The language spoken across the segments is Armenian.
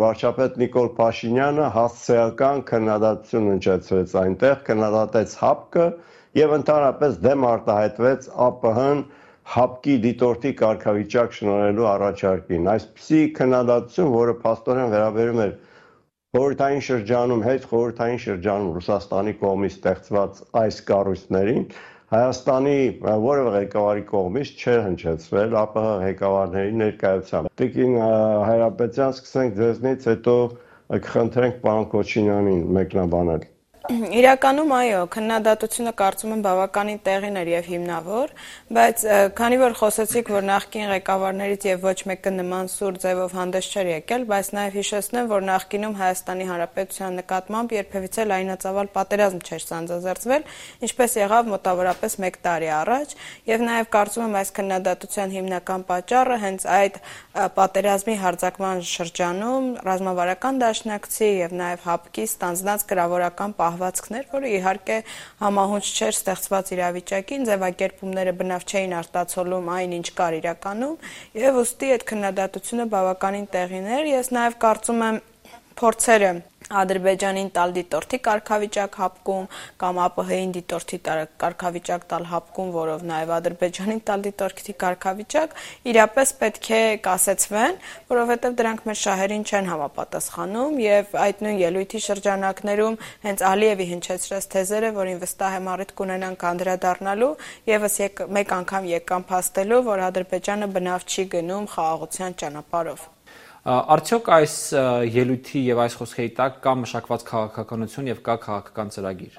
Վարչապետ Նիկոլ Փաշինյանը հասցեական քննադատություն հնչեցրեց այնտեղ, քննադատեց ՀԱՊԿ-ը եւ ընդհանրապես դեմ արտահայտվեց ԱՊՀ-ն ՀԱՊԿ-ի դիտորդի կարգավիճակ շնորհելու առաջարկին։ Այսպիսի քննադատություն, որը փաստորեն վերաբերում էր խորհրդային շրջանում, հետխորհրդային շրջանում Ռուսաստանի կողմից ստեղծված այս կառույցներին, Հայաստանի որևէ ղեկավարի կողմից չէր հնչեցվել ԱՊՀ ղեկավարների ներկայությամբ։ Տիկին Հայրապետյան, սկսենք ձեզնից, հետո կխնդրենք պարոն Քոչինյանին մեկնաբանել։ Իրականում այո, քննադատությունը կարծում եմ բավականին տեղին էր եւ հիմնավոր, բայց քանի որ խոսեցիք, որ նախկին ղեկավարներից եւ ոչ մեկը նման սուր ձևով հանդես չէր եկել, բայց նաեւ հիշեցնեմ, որ նախկինում Հայաստանի Հանրապետության նկատմամբ երբևիցե լայնածավալ պատերազմ չէր սանձազերծվել, ինչպես եղավ մոտավորապես 1 տարի առաջ, եւ նաեւ կարծում եմ այս քննադատության հիմնական պատճառը հենց այդ պատերազմի հարձակման շրջանում ռազմավարական դաշնակցի եւ նաեւ ՀԱՊԿ-ի ստանձնած կրավորական պահվածքներ, որը իհարկե համահունչ չէր ստեղծված իրավիճակին, ձևակերպումները բնավ չէին արտացոլում այն, ինչ կար իրականում, եւ ուստի այդ քննադատությունը բավականին տեղին էր։ Ես նաեւ կարծում եմ փորձերը Ադրբեջանին տալ դիտորդի կարգավիճակ ՀԱՊԿ-ում կամ ԱՊՀ-ին դիտորդի կարգավիճակ տալ ՀԱՊԿ-ում, որով նաեւ Ադրբեջանին տալ դիտորդի կարգավիճակ, իրապես պետք է կասեցվեն, որովհետեւ դրանք մեր շահերին չեն համապատասխանում եւ այդ նույն ելույթի շրջանակներում հենց Ալիևի հնչեցրած թեզերը, որին վստահ եմ առիթ կունենանք անդրադառնալու, եւս մեկ անգամ եկան փաստելու, որ Ադրբեջանը բնավ չի գնում խաղաղության ճանապարհով։ Արդյոք այս ելույթի եւ այս խոսքերի տակ կա մշակված քաղաքականություն եւ կա քաղաքական ծրագիր։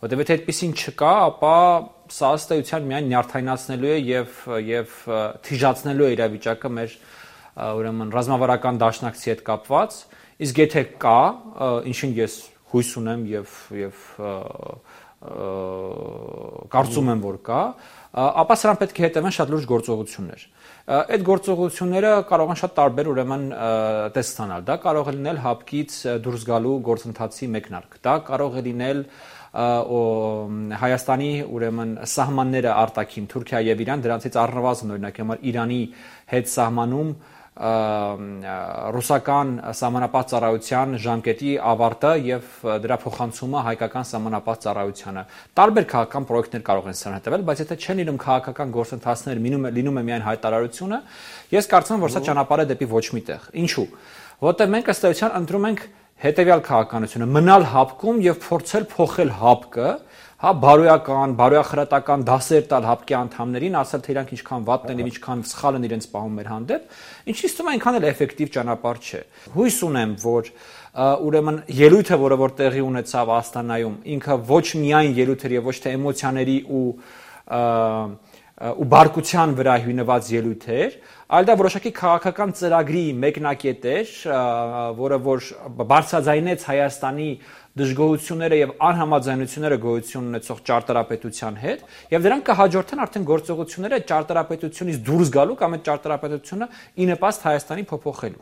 Որտեւ եթե այդպեսին չկա, ապա սա ըստ էության միայն նյարդայնացնելու է եւ թիժացնելու է իրավիճակը մեր ուրեմն ռազմավարական դաշնակցի հետ կապված, իսկ եթե կա, ինչին ես հույս ունեմ եւ կարծում եմ, որ կա, ապա սրան պետք է հետևեն շատ լուրջ գործողություններ։ Այդ գործողությունները կարող են շատ տարբեր ուրեմն տեսք ստանալ։ Դա կարող է լինել ՀԱՊԿ-ից դուրս գալու գործընթացի մեկնարկ։ Դա կարող է լինել Հայաստանի ուրեմն սահմանները արտաքին Թուրքիա եւ Իրան, դրանցից առնվազն օրինակ համար Իրանի հետ սահմանում ռուսական սահմանապահ ծառայության ժամկետի ավարտը եւ դրա փոխանցումը հայկական սահմանապահ ծառայությանը։ Տարբեր քաղաքական պրոյեկտներ կարող են սրան հետևել, բայց եթե չեն լինում քաղաքական գործընթացներ, լինում է միայն հայտարարությունը, ես կարծում եմ, որ սա ճանապարհ է դեպի ոչ մի տեղ։ Ինչու՞։ Որտեղ մենք ըստ էության ընտրում ենք հետեւյալ քաղաքականությունը՝ մնալ ՀԱՊԿ-ում եւ փորձել փոխել ՀԱՊԿ-ը, բարոյախրատական դասեր տալ ՀԱՊԿ-ի անդամներին, ասել թե իրանք ինչքան վատն են եւ ինչքան սխալ են իրենց պահում մեր հանդեպ, ինչից թվում է այնքան էլ էֆեկտիվ ճանապարհ չէ։ Հույս ունեմ, որ ուրեմն ելույթը, որը տեղի ունեցավ Աստանայում, ինքը ոչ միայն ելույթ էր եւ ոչ թե էմոցիաների ու բարկության վրա հիմնված ելույթ էր, այլ դա որոշակի քաղաքական ծրագրի մեկնակետ էր, որը որ բարձրաձայնեց Հայաստանի դժգոհությունները եւ անհամաձայնությունները գոյություն ունեցող ճարտարապետության հետ, եւ դրանք կհաջորդեն արդեն գործողությունները ճարտարապետությունից դուրս գալու կամ այդ ճարտարապետությունը ի նպաստ Հայաստանի փոփոխելու։